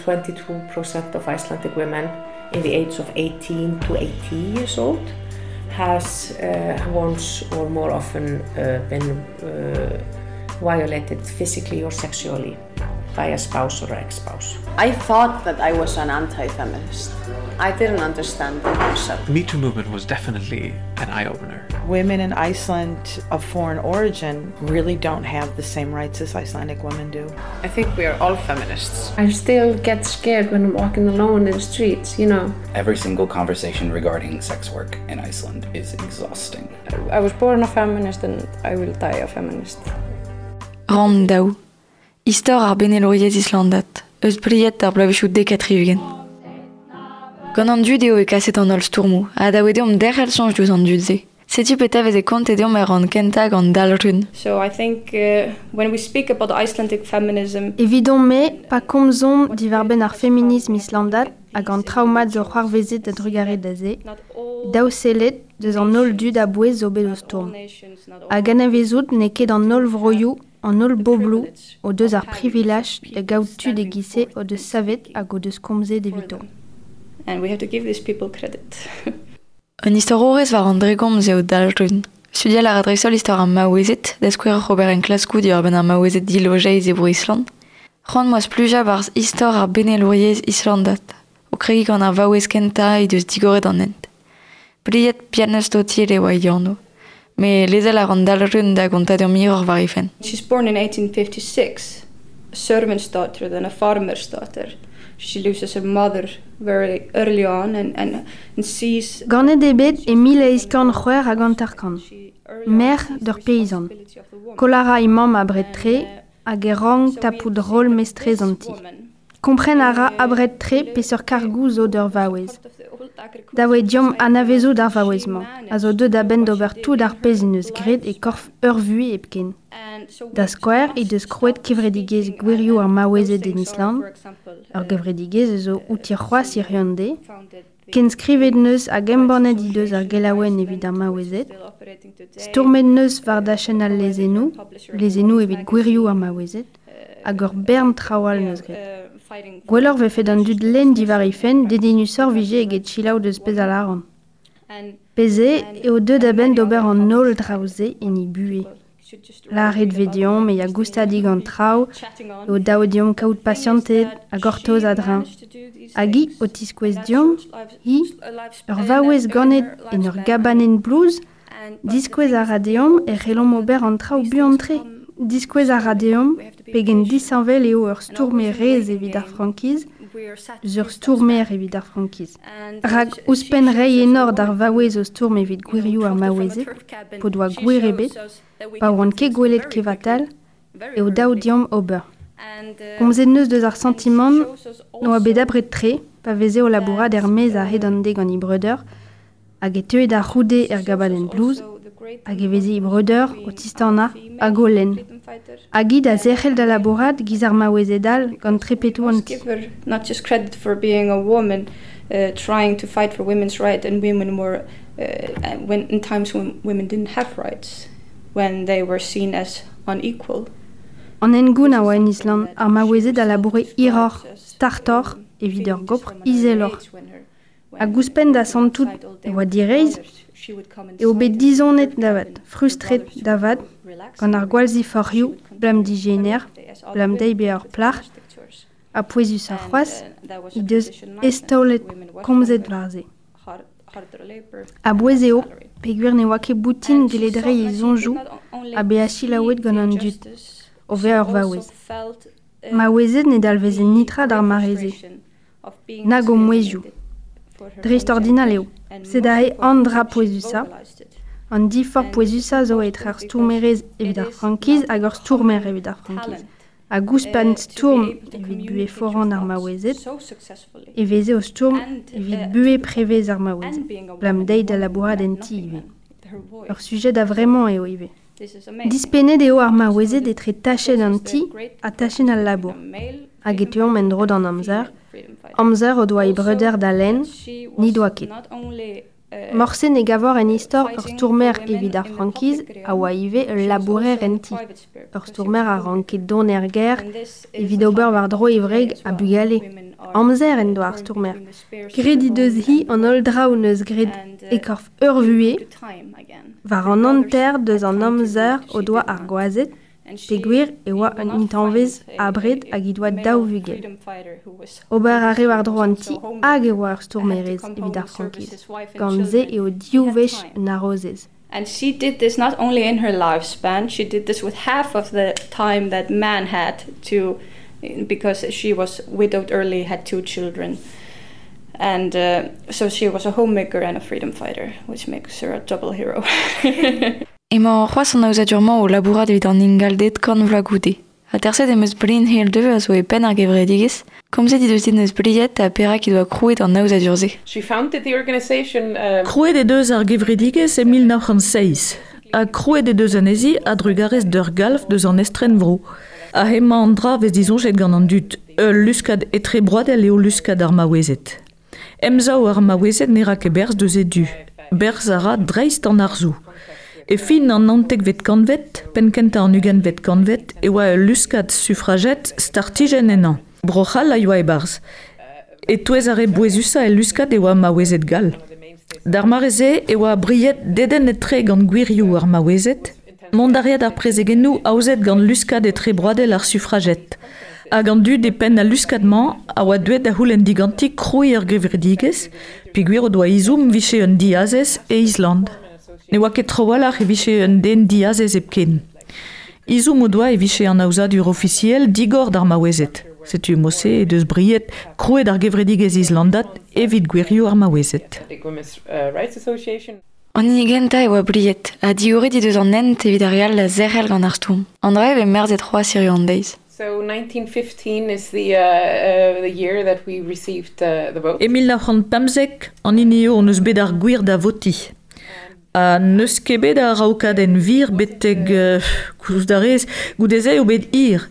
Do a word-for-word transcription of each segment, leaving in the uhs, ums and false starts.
twenty-two percent of Icelandic women in the age of eighteen to eighty years old has uh, once or more often uh, been uh, violated physically or sexually by a spouse or ex-spouse. I thought that I was an anti-feminist. I didn't understand the concept. The Me Too movement was definitely an eye-opener. Women in Iceland of foreign origin really don't have the same rights as Icelandic women do. I think we are all feminists. I still get scared when I'm walking alone in the streets, you know. Every single conversation regarding sex work in Iceland is exhausting. I was born a feminist and I will die a feminist. Ram daou. Istor ar benelouriezh islandat, eus briet d'ar bloavezhioù dek ha tri-ugent. Gant an dud eo e kaset an holl stourmoù, ha da deomp derc'hel soñj diouzh an dud-se. Setu petra veze kontet deomp er ran kentañ gant Dalrun. So I think uh, when we speak about Icelandic feminism... Evidon-me, pa komzomp diwar-benn ar feminism islandat hag an traomat zo c'hoarvezet da drugare da se, daou sellet deus an holl dud a-bouez zo bet o stourm. Hag anavezout n'eo ket an holl vroioù, an holl bobloù o deus ar privilaj da gaout tud e-giz-se o deus savet hag o deus komzet evito. And we have to give these people credit. Un istororez war an dregomz eo Dalrun. Studial a ra dreist-holl istor ar maouezed, da skouer oc'h ober enklaskoù diwar-benn ar maouezed dilojeiz e bro Island. C'hoant 'm boa splujañ barzh istor ar benelouriezh islandat, o kregiñ gant ar vaouez kentañ he deus digoret an hent. Briet Bjarnadóttir e oa he anv. Me lezel a ran Dalrun da gontañ deomp hiroc'h war he fenn. She's born in eighteen fifty-six, a servant's daughter, then a farmer's daughter. She loses her mother very early on and, and, and sees... Ganet eo bet e mil eizh kant c'hwec'h hag hanter-kant, merc'h d'ur peizant. Koll a ra he mamm abred-tre hag e rank tapout roll mestrez an ti. Kompren a ra abred-tre peseurt kargoù zo d'ur vaouez. Da voe deomp anavezout ar vaouez-mañ, a zo deuet a-benn d'ober tout ar pezh en deus graet e korf ur vuhez hepken. Da skouer he deus krouet kevredigezh gwirioù ar maouezed en Island, ur gevredigezh zo outi c'hoazh hiziv an deiz, kenskrivet neus hag embannet he deus ar gelaouenn evit ar maouezed, stourmet neus war dachenn al lezennoù, lezennoù evit gwirioù ar maouezed, hag ur bern traoù all neus graet. Gwelloc'h vefe d'an dud lenn diwar he fenn, dedennusoc'h vije eget selaou deus pezh a lâran. Pezh eo deuet a-benn d'ober an holl draoù-se en he buhez. Lâret vez deomp e ya goustadik an traoù, eo dav deomp kaout pasianted hag gortoz a-dreñv. Hag hi o tiskouez deomp, hi, ur vaouez ganet en ur gabanenn blouz, diskouez a ra deomp e c'hellomp ober an traoù buan-tre. Diskouez a ra deomp pegen disheñvel eo ur stourmerez evit ar frankiz, eus ur stourmer evit ar frankiz. Rak ouzhpenn reiñ enor d'ar vaouez o stourm evit gwirioù ar maouezed, p'o doa gwir ebet, pa oant ket gwelet kevatal, eo dav deomp ober. Komzet neus deus ar santimant n'oa bet abred-tre, pa veze o labourat er-maez a-hed an deiz gant he breudeur, hag e teue da c'houde er gabanenn blouz, hag e veze he breudeur o tistanañ hag o lenn. Hag hi da zerc'hel da labourat giz ar maouezed all gant trepetoù an ti. Give her not just credit for being a woman uh, trying to fight for women's rights, and women were uh, when in times when women didn't have rights, when they were seen as unequal. An hengoun a oa en Island, ar maouezed a laboure hiroc'h, startoc'h evit ur gopr izeloc'h. Hag ouzhpenn da santout e oa direizh, eo bet dizonet da vat, frustret da vat, gant ar gwallziforc'hioù, blam digener, blam dezhi bezañ ur plac'h, ha pouezus ar c'hoazh, he deus eztaolet komzet war se. A-bouez eo, peogwir ne oa ket boutin gellet reiñ he soñjoù ha bezañ selaouet gant an dud, o vezañ ur vaouez. Maouezed ne dalveze netra d'ar mare-se, nag o mouezhioù. Dreist-ordinal eo, sed aze an dra pouezusañ, an diforc'h pouezusañ zo etre ar stourmerez evit ar frankiz hag ur stourmer evit ar frankiz. Hag ouzhpenn stourm evit buhez foran ar maouezed, e veze o stourm evit buhez prevez ar maouezed, blam dezhi da labourat en ti ivez. Ur sujet a-vremañ eo ivez. Dispennet eo ar maouezed etre tachenn an ti ha tachenn al labour. Hag e teuomp en-dro d'an amzer, amzer o doa he breudeur da lenn, ni doa ket. Morse ne gavor en istor ur stourmer evit ar frankiz a oa ivez ul labourer en ti. Ur stourmer a ranke dont er gêr evit ober war-dro e wreg ha bugale. Amzer en doa ar stourmer. Graet he deus hi an holl draoù neus graet e korf ur vuhez, war an hanter deus an amzer o doa ar gwazed, peogwir e oa un intañvez abred hag he doa daou vugel. Ober a re war-dro an ti hag e oa ur stourmerez evit ar frankiz. Gant se eo div wech un harozez. And she did this not only in her lifespan, she did this with half of the time that man had to, because she was widowed early, had two children. And uh, so she was a homemaker and a freedom fighter, which makes her a double hero. Emañ c'hoazh an aozadur-mañ o labourat evit an ingalded kant vloaz goude. Aterset em eus Brynhildur a zo e penn ar gevredigezh. Komzet he deus din eus Briet ha perak he doa krouet an aozadur-se. She founded the organization um, Krouet he deus ar gevredigezh e mil nav c'hant seizh. Ha krouet he deus anezhi a-drugarez d'ur galv deus an estrenvro. Ha hemañ an dra vez disoñjet gant an dud. Ul luskad etrebroadel eo luskad ar maouezed. Emsav ar maouezed ne ra ket berzh deus e du. Berzh a ra dreist an arzoù. E fin an naontekvet kantved, penn-kentañ an ugentvet kantved, e oa ul luskad suffragette startijenn ennañ. Bro-C'hall a yoa e-barzh. E-touez ar re bouezusañ el luskad e oa maouezed gall. D'ar mare-se e oa Briet dedennet-tre gant gwirioù ar maouezed, mont a reat ar prezegennoù aozet gant luskad etrebroadel ar suffragette. Hag an dud e penn al luskad-mañ a oa deuet da c'houlenn diganti krouiñ ur gevredigezh, peogwir o doa ezhomm vije un diazez e Island. Ne oa ket trawalc'h e vije un den diazez hepken. Ezhomm o doa e vije an aozadur ofisiel digor d'ar maouezed. Setu mod-se he deus Briet krouet ar gevredigezh islandat evit gwirioù ar maouezed. Women's uh, Rights Association. An hini gentañ e oa Briet, ha digoret he deus an hent evit ar re all da zerc'hel gant ar stourm. An dra e vez merzet c'hoazh hiziv an deiz. So nineteen fifteen is the, uh, uh, the year that we received uh, the vote. E mil nav c'hant pemzek, an hini eo hon eus bet ar gwir da votiñ. Ha n'eus ket bet ar raokadenn vir betek uh, koulz da rez, goude-se eo bet hir.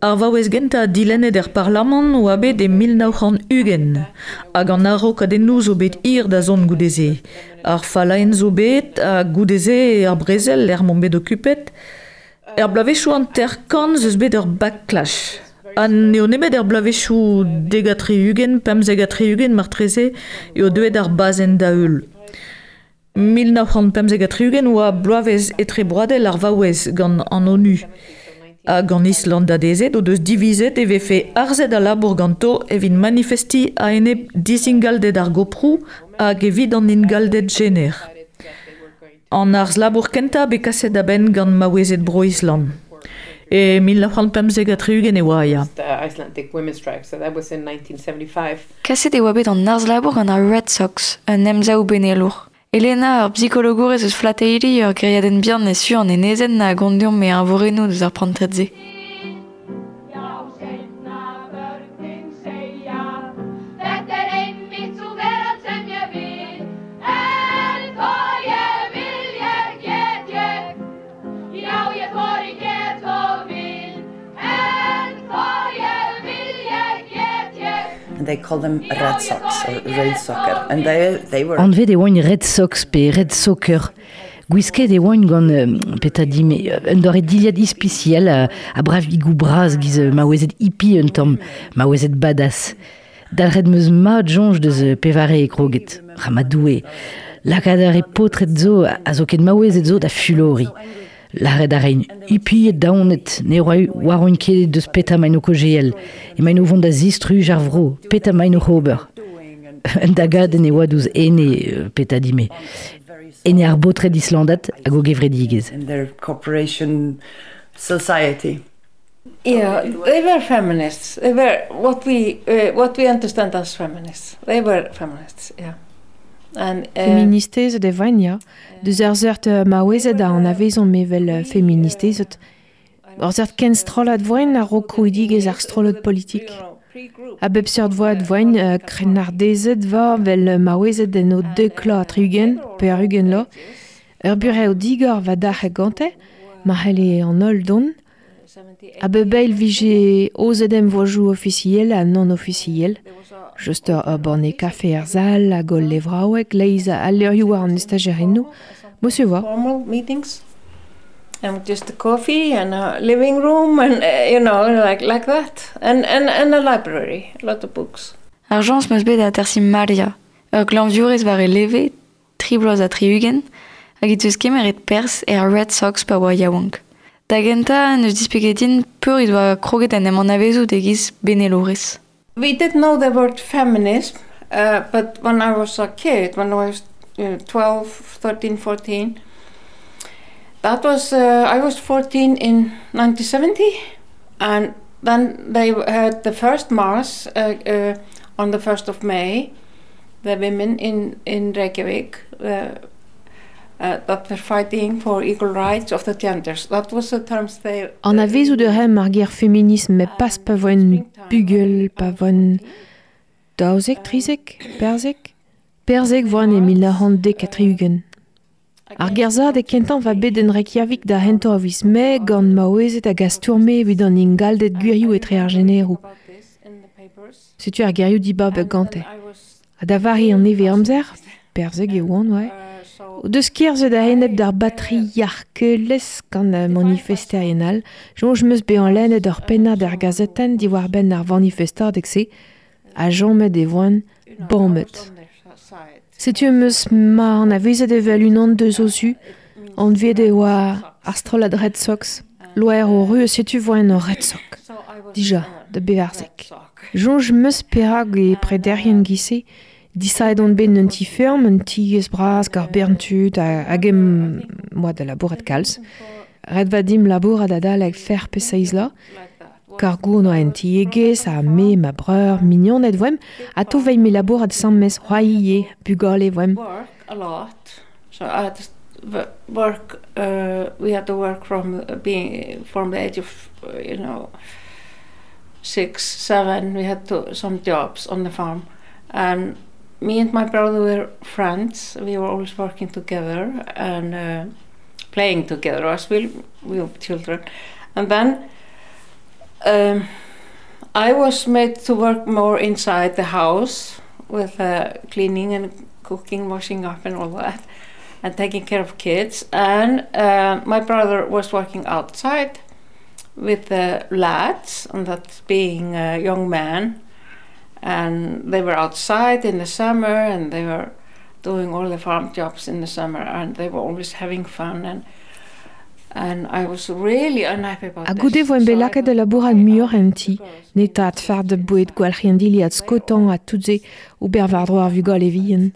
Ar vaouez gentañ dilennet er parlamant oa bet e mil nav c'hant ugent. Hag an araokadennoù zo bet hir da zont goude-se. Ar fallaenn zo bet, ha goude-se ar brezel er m'omp bet okupet. Er bloavezhioù hanter-kant ez eus bet ur backlash. Ha n'eo nemet er bloavezhioù dek ha tri-ugent, pemzek ha tri-ugent martreze eo deuet ar bazenn da heul. mil nav c'hant pemzek ha tri-ugent oa bloavezh etrebroadel ar vaouez gant an ONU. Hag an Islandadezed o deus divizet e vefe arzet al labour ganto evit manifestiñ a-enep disingalded ar goproù hag evit an ingalded jener. An arz labour kentañ bet kaset a-benn gant maouezed bro Island. E mil nav c'hant pemzek ha tri-ugent e oa, ya. The Icelandic Women's Strike, so that was in nineteen seventy-five. Kaset e oa bet an arz labour gant ar Red Sox, un emsav benelour. Elena, ur bsikologourez eus Flateyri, ur gêriadenn bihan e su an enezenn a gont deomp e eñvorennoù deus ar prantad-se. They call them Red Sox or Red Soccer, and they, they were. Anvet e oant Red Sox pe Red Soccer. Gwisket e oant gant euh, petadime un doare dilhad ispisial a, a bravigou bras giz maouezed hippie un tamm, maouezed badass. Dalc'het meus mat soñj deus pevare e kroget, ramadoue. Lakaat ar e paotred zo a zo ket maouezed zo da fulori. Lâret a rein hippie daonet, ne oa war oant ket deus peta maen o kogeel, emaint o vont da zistruj ar vro, peta maen o ober. Un dagadenn e oa douzh ene peta dime. Ene ar baotred islandat hag o gevredigezh. In their corporation society. Yeah, they were feminists. They were what we, uh, what we understand as feminists. They were feminists, yeah. And, uh, Feministezed e voent, ya. Deus ar seurt maouezed a anavezomp evel feministezed. Ur seurt ken strollad voent a-raok krouidigezh ar strollad politik. A bep seurt voad voent uh, krennardezed va vel maouezed en o dek la tri-ugent, pe ar ugent la. Ur burev digor va dac'h gante, ma c'helle an holl dont. A bep eil vije ozet em vojoù ofisiel ha non ofisiel. Just ur borne kafe er zal hag ul levraoueg, leiz al leurioù war an estajerennoù. Mo se voa. Formal meetings. And just a coffee and a living room and, uh, you know, like, like that. And, and, and a library, a lot of books. Ar jañs meus bet atersi Maria, ur glañvdiourez war e leve, tri bloaz ha tri-ugent, hag he deus kemeret perzh er Red Sox pa oa yaouank. Da gentañ neus displeget din peur he doa kroget en em anavezout e-giz benelourez. We didn't know the word feminism, uh, but when I was a kid, when I was you know, twelve, thirteen, fourteen, that was, uh, I was fourteen in nineteen seventy, and then they had the first march uh, uh, on the first of May, the women in, in Reykjavik, uh, uh, that were fighting for equal rights of the genders. That was the terms they... Anavezout a raemp ar ger feminism met pas pa voen bugel, pa voen daouzek, trizek, perzek. Perzek voen e mil nav c'hant dek ha tri-ugent. Ar gerzad e kentañ va bet en Reykjavik da hentañ a viz Mae gant maouezed hag a stourme evit an ingalded gwirioù etre ar jeneroù. Setu ar gerioù dibab gante. Ha da vari an nevez amzer, perzek e oan, oa. O deus kerzhet a-enep d'ar batriarkelezh gant manifesterien all, soñj 'm eus bezañ lennet ur pennad er gazetenn diwar-benn ar vanifestadeg-se, ha chomet e voan bamet. Setu em eus ma anavezet evel unan deus o zu, anvet e oa ar strollad Red Sox, loer o ru setu voen ur Red Sox. Dija, da bevarzek. Soñj 'm eus perak e prederien giz-se, disaet on bet un ti ferm, un tiez bras gant bern tud hag em moa da labourat kalz. Ret va dimp labourat adalek fer pe seizh la. Kargoù oa en tiegezh ha me, ma breur, mignoned voemp, ha to veilh me labourat sammes c'hoaie, bugale voemp. Work a lot. So I had to work, uh, we had to work from being from the age of, you know, six, seven, we had to some jobs on the farm. And me and my brother were friends. We were always working together and uh, playing together as we, we were children. And then um, I was made to work more inside the house with uh, cleaning and cooking, washing up and all that, and taking care of kids. And uh, my brother was working outside with the lads, and that's being a young man. And they were outside in the summer, and they were doing all the farm jobs in the summer, and they were always having fun. And and I was really unhappy about Ha goude voen bet lakaet da labourat muioc'h en ti, netaat fard boued gwalc'hiñ dilhad skotañ ha tout se ober war-dro ar vugale vihan.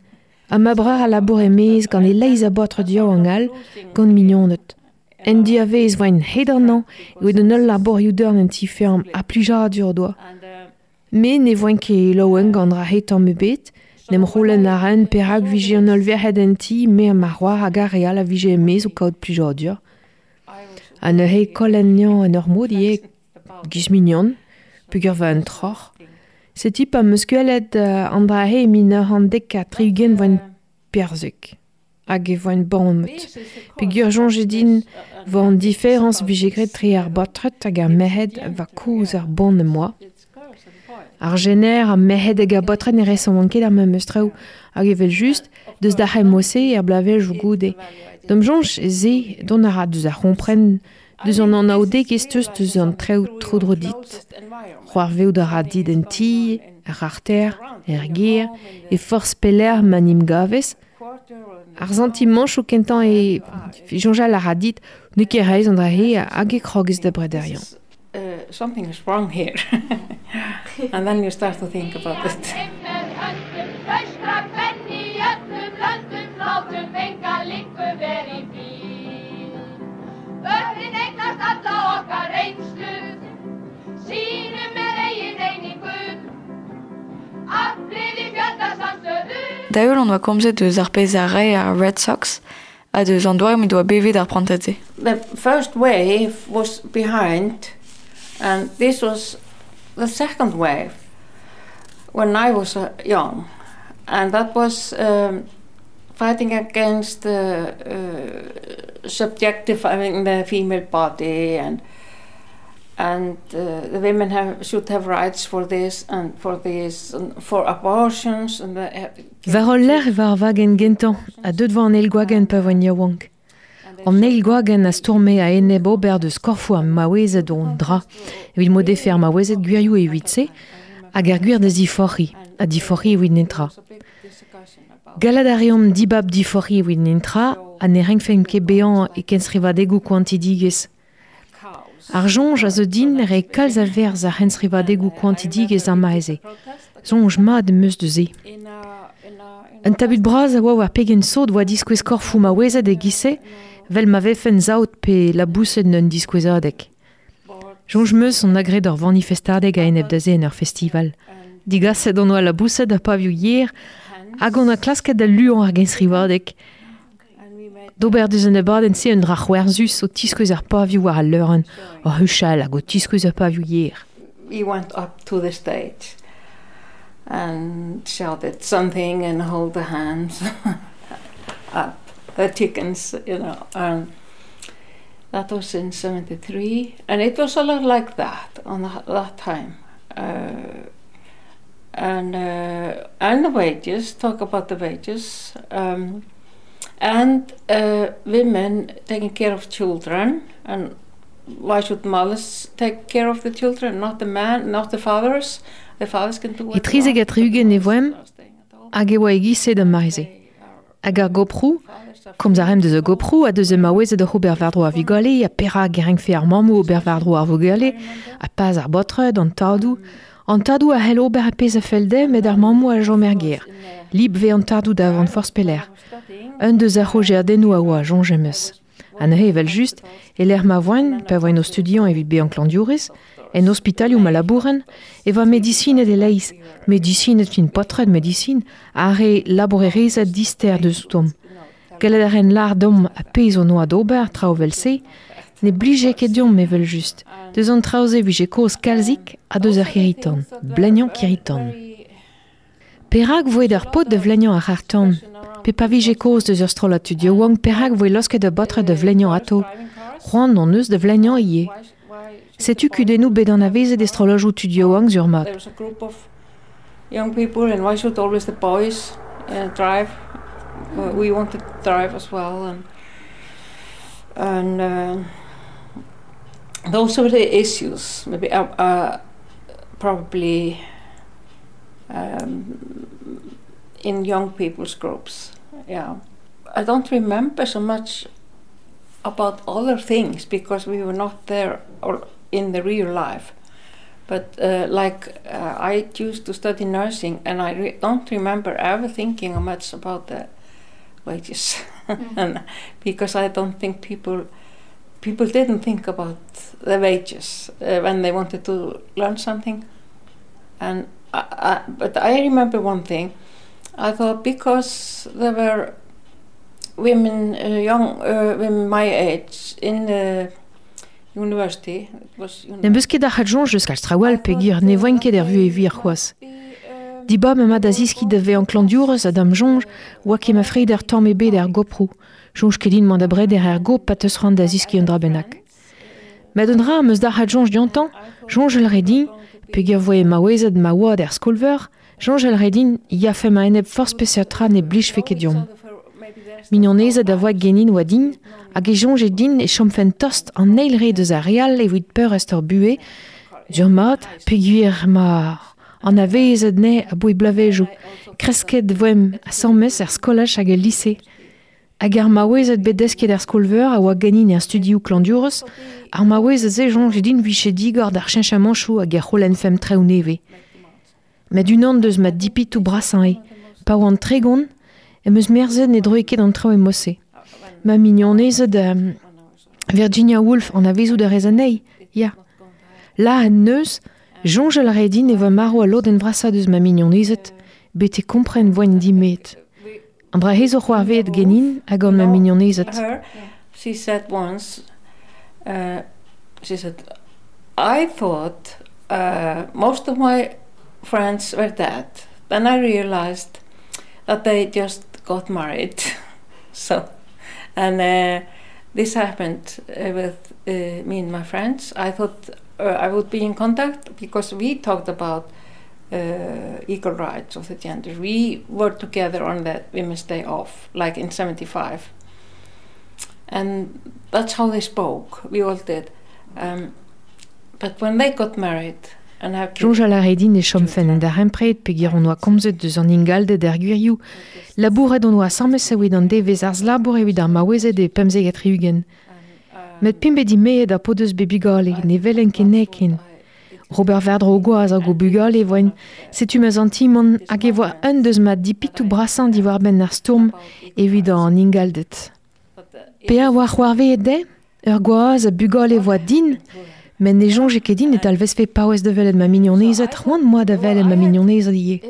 Ha ma breur a labour e-maez gant e leizh a baotr diaouank all gant mignoned. En diavez voen hed an hañv evit an holl labourioù dorn en ti-ferm ha plijadur o doa. Me ne voen ket laouen gant ra hetañ me bet, n'em c'houlenn a raen perak vije an holl verc'hed en ti, me ha ma c'hoar hag ar re all a vije e-maez o kaout plijadur. Ha neuze kollen niañ en ur mod ivez giz mignon, peogwir va un troc'h. Setu pa 'm eus gwelet an dra-se e mil nav c'hant dek ha tri-ugent voen perzek. Hag e voen bamet. Peogwir soñje din vo an diferañs vije graet tre ar baotred hag ar merc'hed va kozh ar bon em boa. Ar jener ha merc'hed hag ar baotred ne resont ket ar memes traoù hag evel just deus da c'hemm-se er bloavezhioù goude. D'am soñj se dont a ra deus ar c'hompren deus an anaoudegezh teus deus an traoù tro-dro dit. C'hoarvezout a ra dit en ti, ar arter, er gêr, e forzh pelec'h ma 'n em gavez. Ar santimanchoù kentañ e soñjal a ra dit n'eo ket reizh an dra-se hag e krogez da brederiañ. Uh, something is wrong here. And then you start to think about it. Da heul on oa komzet deus ar pezh a rae ar Red Sox ha deus an doare m'he doa bevet ar prantad-se. The first wave was behind, and this was the second wave when I was uh, young, and that was um, fighting against the uh, subjectifying the female body, and and uh, the women have, should have rights for this and for this and for abortions and the, War ul lec'h e war ar wagenn gentañ ha deuet war an eil gwagenn pa voen yaouank. An eil gwagenn a stourme a eneb ober deus korfoù ar maouezed on dra, evit m'o defe ar maouezed gwirioù evit se, hag ar gwir da ziforc'hiñ, ha diforc'hiñ evit netra. Gallat a reomp dibab diforc'hiñ evit netra, ha ne renkfemp ket bezañ e kenstrivadegoù koantidigezh. Ar soñj a zo din re kalz a verzh ar c'henstrivadegoù koantidigezh ar mare-se. Soñj mat em eus deus se. Un tabut bras a oa war pegen sot oa diskouez korfoù maouezed e-giz-se, vel ma vefen saout pe laboused un diskouezadeg. Soñj 'm eus on agret ur vanifestadeg a-enep da se en ur festival. Digaset on oa laboused ha pavioù yer, hag on a klasket da luañ ar genstrivadeg. D'ober deus an abadenn-se un dra c'hwerzus o tiskouez ar pavioù war al leurenn, o huchal hag o tiskouez ar pavioù yer. We went up to the stage and shouted something and hold the hands up, the chickens, you know. And that was in seventy-three, and it was a lot like that on the, that time. Uh, and, uh, and the wages, talk about the wages, um, and uh, women taking care of children, and why should mothers take care of the children, not the man, not the fathers? The fathers can do E trizek ha tri-ugent e voemp, hag e oa e-giz-se d'ar mare-se. Hag ar goproù, komz a raemp deus ar goproù ha deus ar maouezed oc'h ober war-dro ar vugale, ha perak e renkfe ar mammoù ober war-dro ar vugale, ha pas ar baotred, an tadoù. An tadoù a c'hell ober ar pezh a fell dezhe, met ar mammoù a chom er gêr. Lib vez an tadoù da vont forzh pelec'h. Un deus ar c'hogerdennoù a oa, soñj em eus. Ha neuze evel-just, e lec'h ma voen, pa voen o studiañ evit bezañ klañvdiourez, en ospitalioù ma labouren, e voa medisined e-leizh, medisined fin paotred medisin, ar re labourerezed dister deus outomp. Gallet a raent lâr deomp ar pezh hon oa d'ober, traoù evel-se, ne blije ket deomp evel-just. Deus an traoù-se vije kaoz kalzik ha deus ar c'hirri-tan, bleniañ kirri-tan. Perak voe d'ar paotr da vleniañ ar c'harr-tan? Pe pa vije kaoz deus ur strollad tud yaouank, perak voe laosket ar baotred da vleniañ atao? C'hoant hon eus da vleniañ ivez. Setu kudennoù bet anavezet e strolladoù tud yaouank sur mat. There was a group of young people, and why should always the boys uh, drive? Uh, we wanted to drive as well, and and uh, those were the issues. Maybe uh, uh, probably um, in young people's groups. Yeah, I don't remember so much about other things because we were not there or in the real life. But uh, like uh, I used to study nursing, and I re- don't remember ever thinking much about the wages, mm. and because I don't think people people didn't think about the wages uh, when they wanted to learn something. And I, I, but I remember one thing. I thought because there were women, uh, young uh, women my age in the university. It was N'em eus ket ar c'had soñj eus kalz traoù all peogwir ne voen ket er vuhez wir c'hoazh. Dibab ema da zeskiñ da vezañ klañvdiourez ha da'm soñj oa ket ma freder tamm ebet er goproù. Soñj ket din mont da breder er gop pa teus c'hoant da zeskiñ un dra bennak. Met un dra am eus dalc'het soñj diontañ, soñjal 'rae din, peogwir voe maouezed ma oad er skol-veur, soñjal 'rae din yafe ma enep forzh peseurt tra ne blijfe ket deomp. Mignonezed a voa genin oa din, hag e soñje din e chomfen tost an eil re deus ar re all evit peurrest hor buhez, sur mat, peogwir ma anavezet anezhe aboe bloavezhioù, kresket voemp asambles er skolaj hag el lise. Hag ar maouezed bet desket er skol-veur a oa ganin er studioù klañvdiourez, ar maouezed-se soñje din vije digor d'ar cheñchamanchoù hag er c'holenn-femp traoù nevez. Met unan deus ma dipitoù brasañ eo, pa oan tregont, em eus merzet ne droe ket an traoù e mod-se. Ma mignonezed euh, Virginia Woolf anavezout a rez anezhi, ya. La en neus, soñjal a rae din e voa marv al lodenn vrasañ deus ma mignonezed, betek kompren voen dimet. An dra se zo c'hoarvezet ganin hag gant ma mignonezed. Her, she said once, uh, she said, I thought uh, most of my friends were dead. Then I realized that they just got married. So, and uh, this happened uh, with uh, me and my friends. I thought uh, I would be in contact because we talked about uh, equal rights of the gender. We were together on the Women's Day off, like in seventy-five. And that's how they spoke. We all did. Um, but when they got married and have kids, Soñjal a rae din e chomfen en darempred peogwir hon oa komzet deus an ingalded er gwirioù. Labouret hon oa asambles evit an devezh arz labour evit ar maouezed e pemzek ha tri-ugent. Met p'int bet dimeet ha p'o deus bet bugale, ne welen ket anezhe ken. Robert Verdro gwaz hag o bugale e voen, setu ma santimant hag e voa un deus ma dipitoù brasañ diwar-benn ar stourm evit an ingalded. Pe a oa c'hoarvezet dezhe, ur gwaz ha bugale e voa din, met ne soñje ket din e talvezfe paouez da welet ma mignonezed, c'hoant 'moa da welet ma mignonezed ivez.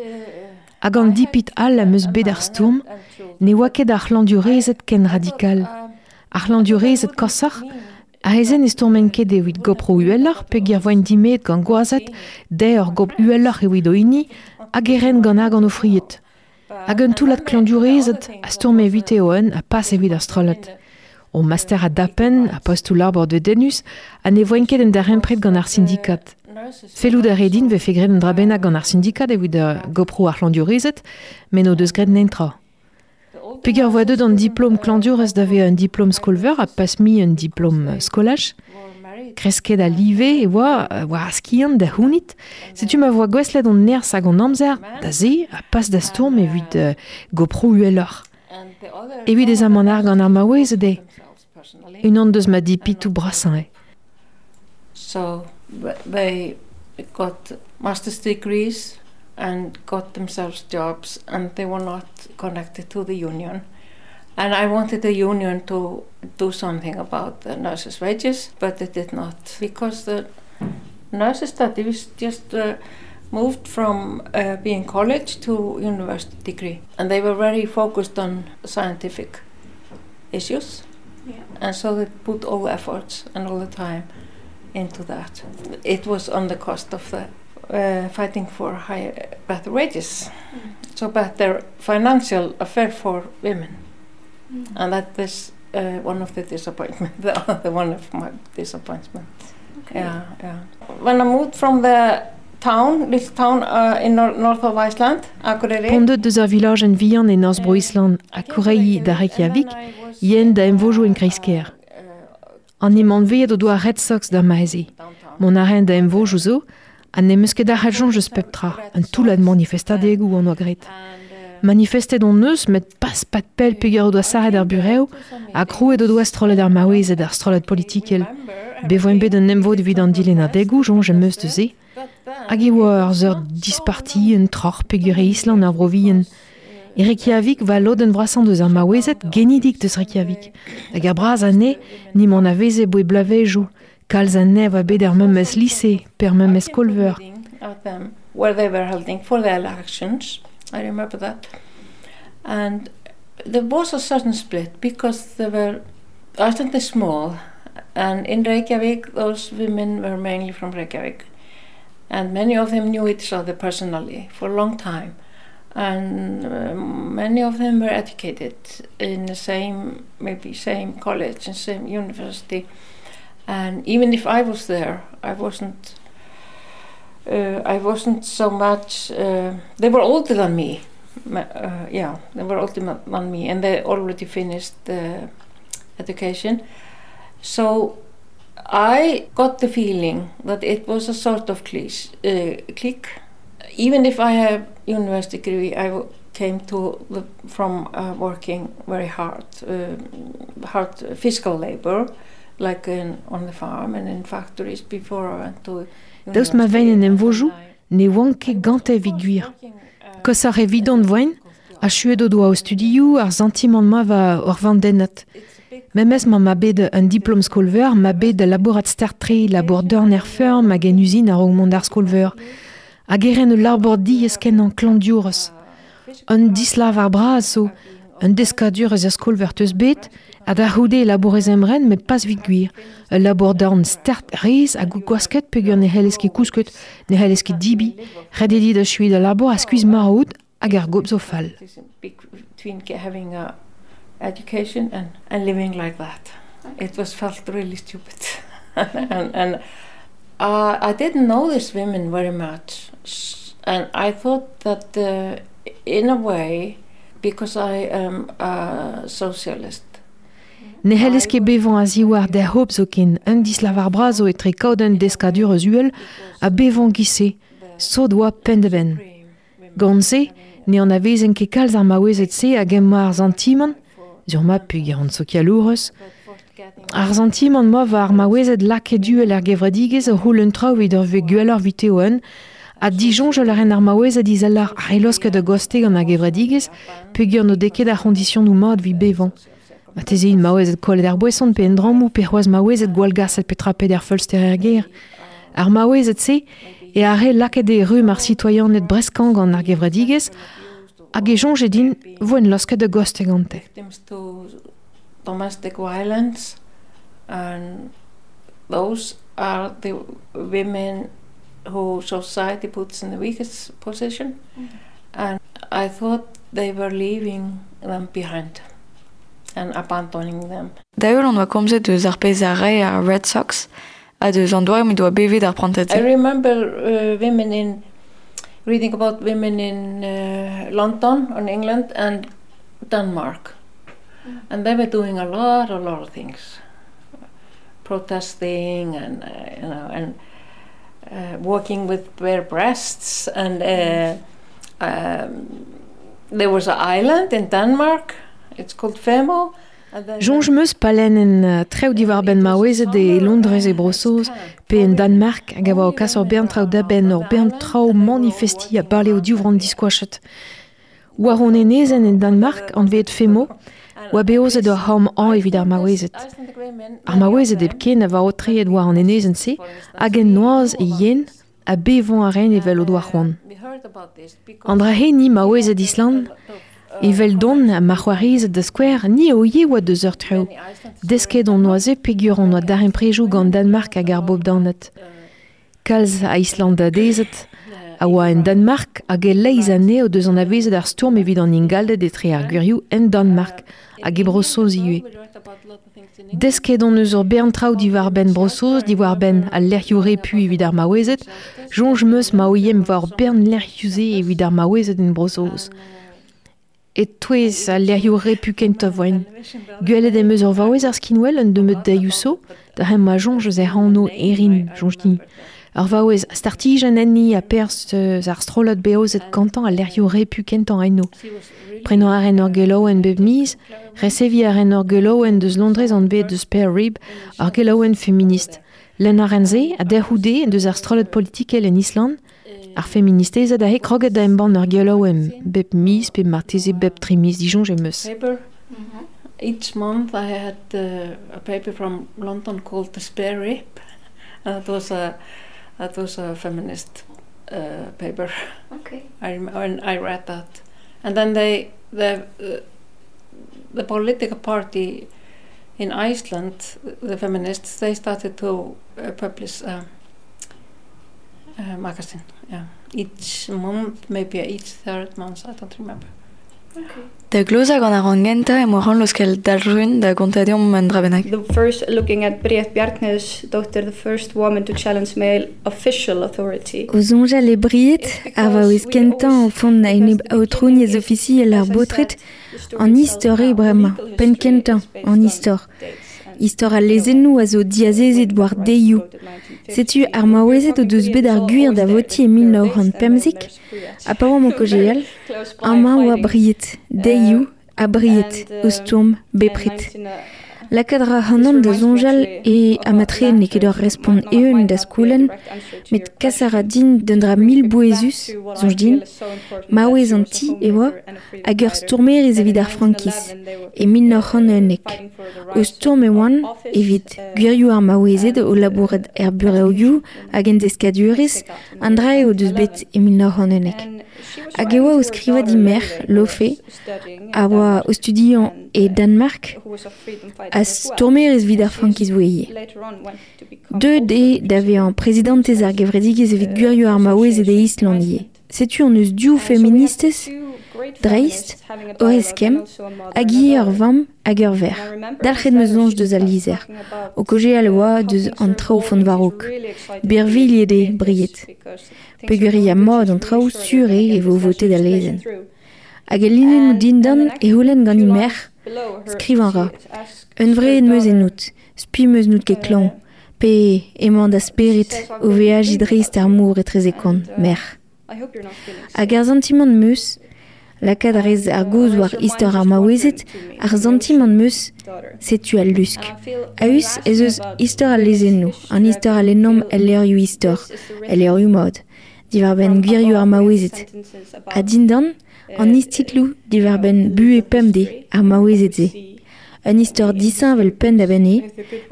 Hag an dipit all am eus bet ar stourm, ne oa ket ar c'hlañvdiourezed ken radikal. Ar c'hlañvdiourezed koshoc'h, a-hezen e stourment ket evit gopr uheloc'h peogwir voent dimeet gant gwazed, dezhe ur gopr uheloc'h evit o hini, hag e ren gant argant o fried. Hag un toullad klañvdiourezed a stourme evite o-un ha pas evit ar strollad. O master a dapen, a postoù labour dedennus, ha ne voent ket en darempred gant ar sindikad. Fellout a rae din vefe graet un dra bennak gant ar sindikad evit goproù ar c'hlañvdiourezed, met n'o deus graet netra. Peogwir voa deuet an diplom klañvdiourez da vezañ un diplom skol-veur ha pas mui un diplom skolaj. Kresket a live e oa war ar skiant da c'hounit. Setu ma voa gouestlet hon nerzh hag hon amzer da se ha pas da stourm evit uh, goproù uheloc'h. Evit ez amant argant ar maouezed eo. Unan deus ma dipitoù brasañ eo. So they got master's degrees and got themselves jobs, and they were not connected to the union. And I wanted the union to do something about the nurses' wages, but they did not, because the nurses study was just uh, moved from uh, being college to university degree, and they were very focused on scientific issues. Yeah. And so they put all the efforts and all the time into that. It was on the cost of the uh, fighting for higher, better wages, Mm. so better financial affair for women. Mm. And that is uh, one of the disappointment, the other one of my disappointments. Okay. Yeah, yeah. When I moved from the town, little town uh, in nor- north of Iceland, Akureyri. P'on deut deus ar vilaj en vihan e norzh Bro-Island ha Kourei da Reykjavik, yen da emvojoù en kreiz-kêr. An emanveet o doa Red Sox d'ar maeze. Mont a raen da emvojoù zo, ha n'em eus ket ar soñj eus pep tra, un toullad manifestadegoù an oa graet. Manifestet hon eus, met pas pat pell peogwir o doa sarret ar burev, ha krouet o doa strollad ar maouezed ar strollad politikel. Bet voen bet un emvod evit an dilennadegoù, soñj em eus deus se. Hag e oa ur seurt disparti, un troc'h peogwir e Island ar vro vihan. E Reykjavik va lodenn vrasañ deus ar maouezed genidik deus Reykjavik. Hag ar braz anezhe ni m'en aveze boe blavezioù. Kalz anezhe oa bet er memes lise, pe er memes skol-veur. Of them, where they were holding for the elections. I remember that. And there was a certain split because there were, Iceland is small, and in Reykjavik those women were mainly from Reykjavik. And many of them knew each other personally for a long time. And uh, many of them were educated in the same, maybe same college and same university. And even if I was there, I wasn't uh, I wasn't so much, uh, they were older than me. Uh, yeah, they were older than me, and they already finished the education. So I got the feeling that it was a sort of clique. Uh, clique. Even if I have university degree, I w- came to the, from uh, working very hard, uh, hard physical labor, like in, on the farm and in factories before I went to Daoust ma ven en emvojoù, ne oan ket gante evit gwir. Koshoc'h evidon voen, achuet o doa o studioù ar santimant ma va ur vandennad. Memes ma ma bet un diplom skol-veur, ma bet labourat start-tre, labour dorn er feurm hag en uzin a-raok mont d'ar skol-veur. Hag e ren ul labour diaes kenañ klañvdiourez. Un dislav ar braz zo, un deskadur eus ar skol-veur teus bet, ha da c'houde e labourez emren met pas evit gwir. Ul labour dorn start rez hag o gwasket peogwir ne c'hellez ket kousket, ne c'hellez ket dibi, ret eo dit achuiñ da labour ha skuizh marv out hag ar gopr zo fall. Between having a education and, and living like that. It was felt really stupid. and and uh, I didn't know these women very much. And I thought that uh, in a way, because I am a socialist. Ne c'hellez ket bevañ a-ziwar der hop zoken, un dislavar bras zo etre kaout un deskadur eus uhel ha bevañ giz-se, sot oa penn-da-benn. Gant se, ne anavezen ket kalz ar maouezed-se hag emañ ar santimant, sur ma peogwir an sokialourez, ar santimant ma war ar maouezed lakaet uhel er gevredigezh o c'houlenn traoù evit ur vez gwelloc'h evite o-un, ha disoñjal a ren ar maouezed izeloc'h ar laosket a-goste gant ar gevredigezh peogwir n'o dez ket ar c'hoñdisionoù mat evit bevañ. Marteze int maouezed kollet ar boeson pe en drammoù pe c'hoazh maouezed gwallgaset petra peder feulster er gêr. Ar maouezed-se e ar re lakaet e rumm ar sitoaianed breskañ gant ar gevredigezh hag e soñje din voen laosket a-goste gante. Victims to domestic violence, and those are the women who society puts in the weakest position. Mm. And I thought they were leaving them behind and abandoning them. Da heul on oa komzet eus ar pezh a rae ar Red Socks ha deus an doare m'he doa bevet ar prantad-se. I remember uh, women in reading about women in uh, London in England and Denmark. Mm. And they were doing a lot, a lot of things, protesting and, uh, you know, and uh, walking with bare breasts. And uh, um, there was an island in Denmark. It's called Femo. And then Soñj 'm eus pa lennen uh, traoù diwar-benn maouezed e Londrez e Bro-Saoz pe en Danmark hag a oa o kas ur bern traoù da benn, ur bern traoù manifestiñ ha bale o divronn diskoachet. War hon enezenn en Danmark anvet Femo, oa beozet ur c'horn hañv evit ar maouezed. Ar maouezed hepken a oa aotreet war an enezenn-se hag en noazh e yen ha bevañ a raent evel o doa c'hoant. An dra-se ni maouezed Island, evel don ha ma c'hoarezed da skouer, ni o ivez oa deus ur traoù. Desket hon oa se peogwir hon oa darempredoù gant Danmark hag ar bobdaned. Kalz a Islandadezed a oa en Danmark hag e-leizh anezho deus anavezet ar stourm evit an ingalded etre ar gwirioù en Danmark hag e Bro-Saoz ivez. Desket hon eus ur bern traoù diwar-benn Bro-Saoz, diwar-benn al lec'hioù repu evit ar maouezed, soñj 'm eus ma ouiemp war ur bern lec'hioù-se evit ar maouezed en Bro-Saoz. E-touez al lec'hioù repu kentañ voen. Gwelet em eus ur vaouez ar skinwel un nebeud deioù zo, da hemañ ma soñj eus hec'h anv Erin, soñj din. Ur vaouez startijenn enni ha perzh eus ar strollad beozet gantañ al lec'hioù repu kentañ eno. Prenañ a ren ur gelaouenn bep miz, reseviñ a ren ur gelaouenn deus Londrez anvet The Spare Rib, ur gelaouenn feminist. Lenn a ren se, ha derc'houde deus ar strollad politikel en Island, ar feministezed aze kroget da embann ur gelaouenn bep miz pe marteze bep tri miz disoñj em eus. Paper. Each month I had uh, a paper from London called The Spare Rib. And that was a, that was a feminist uh, paper. Okay. I rem-, and I read that. And then they, the, uh, the political party in Iceland, the feminists, they started to uh, publish a, a magazine. Yeah, each month, maybe each third month, I don't remember. Okay. Da glozañ gant ar rann gentañ emañ c'hoant laoskel Dalrun da gontañ deomp un dra bennak. The first, looking at Bríet Bjarnhéðinsdóttir, the first woman to challenge male official authority. O soñjal e Bríet, ar vaouez kentañ o font a-enep aotrouniezh ofisiel ar baotred, an istor eo bremañ, penn kentañ, an istor. Istor al lezennoù a zo diazezet war deioù. Setu ar maouezed o deus bet ar gwir da votiñ e mil nav c'hant pemzek, ha pa oamp o kaozeal, amañ oa Bríet, deioù ha Bríet, o stourm bepred. Lakaat ra ac'hanon da soñjal e amatre n'eo ket ur respont eeun da skoulenn, met kas a ra din d'un dra mil bouezus, soñj din, maouez an ti e oa, hag ur stourmerez evit ar frankiz, e mil nav c'hant unnek. O stourm e oan evit gwirioù ar maouezed o labourat er bureoioù hag en deskadurezh, an dra eo deus bet e mil nav c'hant unnek. Hag e oa o skrivañ di merc'h, Laufey, a oa o studiañ e Danmark, a stourmerez evit ar frankiz oa ivez. Deuet eo da vezañ prezidantez ar gevredigezh evit gwirioù ar maouezed e Island ivez. Setu hon eus div feministez, dreist, o eskemm, hag ivez ur vamm hag ur verc'h. Dalc'het 'm eus soñj deus al lizher. O kaozeal e oa deus an traoù font war-raok. Birvilhet eo, Bríet. Peogwir ya mat an traoù sur eo e vo votet al lezenn. Hag el linennoù dindan e c'houlenn gant he merc'h, Skrivañ a ra. Hunvreet 'm eus ennout, spi 'm eus n'out ket klañv, pe emañ da spered o veajiñ dreist ar mor etrezek on, merc'h. Hag ar santimant 'm eus, lakaat a rez ar gaoz war istor ar maouezed, ar santimant 'm eus, setu al lusk. A-us ez eus istor al lezennoù, an istor a lennomp el levrioù istor, el levrioù mod, diwar-benn gwirioù ar maouezed. Ha dindan, an istitloù diwar-benn buhez pemdez ar maouezed-se. Un istor disheñvel penn-da-benn eo,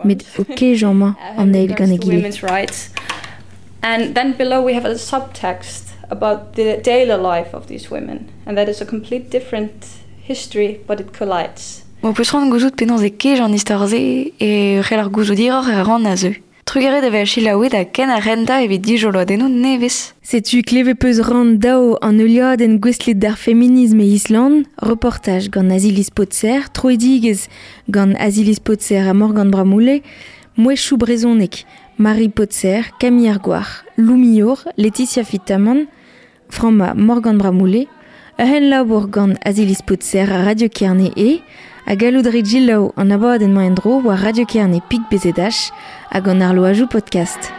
met o kejañ emañ an eil gant egile. Women's rights. And then below we have a subtext about the daily life of these women. And that is a complete different history, but it collides. M'ho peus c'hoant gouzout penaos e kej an istor-se e c'hell ar gouzout hiroc'h er rann a zeu. Trugarez da vezañ selaouet ha ken ar rentañ evit dijoloadennoù nevez. Setu klevet peus rann daou an heuliadenn gouestlet d'ar feminism e Island, reportaj gant Aziliz Potser, troidigezh gant Aziliz Potser ha Morgan Bramoullé, mouezhioù brezhonek, Marie Potser, Camille Argouarc'h, Lou Millour, Laetitia Fitamant, Framma Morgan Bramoullé, ur c'henlabour gant Aziliz Potser ha Radio Kerne e, ha gallout rit selaou an abadenn-mañ en-dro war Radio Kerne pik B Z H hag an arloajoù podcast.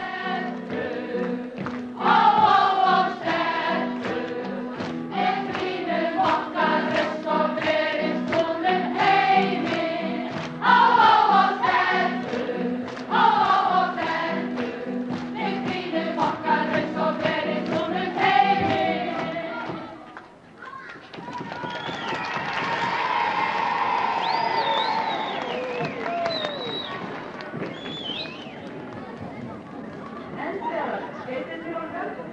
Thank you.